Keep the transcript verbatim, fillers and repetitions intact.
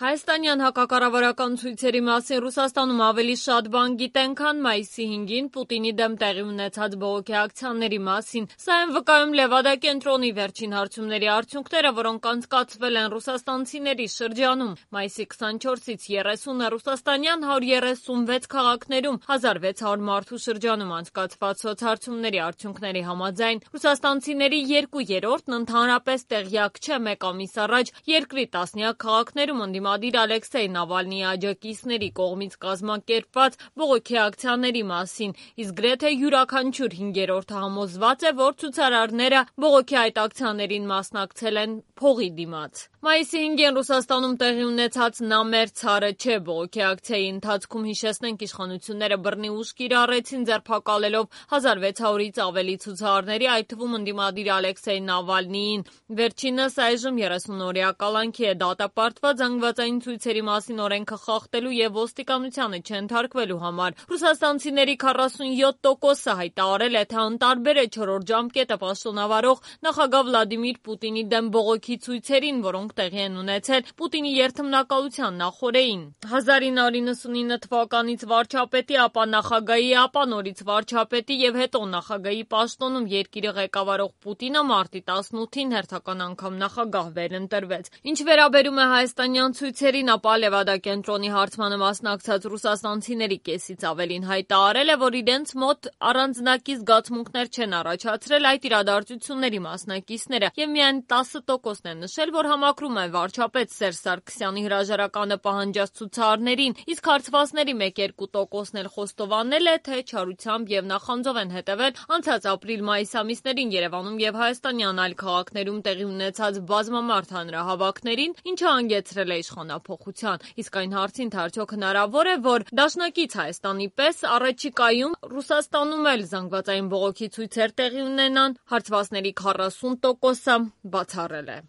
Հայաստանյան հակակառավարական ցույցերի մասին Ռուսաստանում ավելի շատ բան գիտեն, քան մայիսի հինգին Պուտինի դեմ տեղի ունեցած բողոքի ակցիաների մասին։ Սա են վկայում Լևադա կենտրոնի վերջին հարցումների արդյունքները, որոնք անցկացվել են ռուսաստանցիների շրջանում։ Մայիսի քսանչորսից երեսունը ռուսաստանյան հարյուր երեսունվեց քաղաքներում հազար վեց հարյուր մարդու շրջանում անցկացված սոցհարցումների արդյունքների համաձայն ռուսաստանցիների երկու երրորդն ընդհանրապես տեղյակ չէ մեկ ամիս առաջ երկրի տասնյակ քաղաքներում ընդդիմադիր Ալեքսեյ Նավալնիի աջակիցների կողմից կազմակերպված բողոքի ակցիաների մասին, իսկ գրեթե յուրաքանչյուր հինգերորդը համոզված է, որ ցուցարարները բողոքի այդ ակցիաներին մասնակցել են փողի դիմաց։ Մայիսի հինգին Ռուսաստանում տեղի ունեցած «Նամեր ցարը չէ» բողոքի ակցիայի ընթացքում, հիշեցնենք, իշխանությունները բռնի ուժ կիրառեցին ձերբակալելով հազար վեց հարյուրից ավելի ցուցարարների, այդ թվում ընդդիմադիր Ալեքսեյ Նավալնիին։ Վերջինս այժմ երեսունօրյա կալանքի է դատապարտված զանգվածային ցույցերի մասին օրենքը խախտելու և ոստիկանությանը չենթարկվելու համար։ Ռուսաստանցիների քառասունյոթ տոկոսը հայտարարել է, թե անտարբեր է չորրորդ ժամկետը պաշտոնավարող նախագահ Վլադիմիր Պուտինի դեմ բողոքի ցույցերին, որոնք տեղի են ունեցել Պուտինի երթմնակալության նախօրեին։ հազար ինը հարյուր նվաթինը թվականից վարչապետի, ապա նախագահի, ապա նորից վարչապետի և հետո նախագահի պաշտոնում երկիրը ղեկավարող Պուտինը մարտի տասնութին հերթական անգամ նախագահ վերընտրվեց։ Ինչ վերաբերում է հայաստանյան ցույցերին, ապա Լևադա կենտրոնի հարցմանը մասնակցած ռուսաստանցիների կեսից ավելին հայտարարել է, որ իրենց մոտ առանձնակի զգացմունքներ չեն առաջացրել այդ իրադարձությունների մասնակիցները, և միայն տասը տոկոսն է նշել, որ համակրում են վարչապետ Սերժ Սարգսյանի հրաժարականը պահանջած ցուցարարներին, իսկ հարցվածների մեկ-երկու տոկոսն էլ խոստովանել է, թե չարությամբ և նախանձով են հետևել անցած ապրիլ-մայիս ամիսներին Երևանում և հայաստանյան այլ քաղաքներում տեղի ունեցած բազմամարդ հանրահավաքներին, ինչը հանգեցրել է իշխանափոխության։ Իսկ այն հարցին, թե արդյոք հնարավոր է, որ դաշնակից Հայաստանի պես առաջիկայում Ռուսաստանում էլ զանգվածային բողոքի ցույցեր տեղի ունենան, հարցվածների քառասուն տոկոսը բացառել է։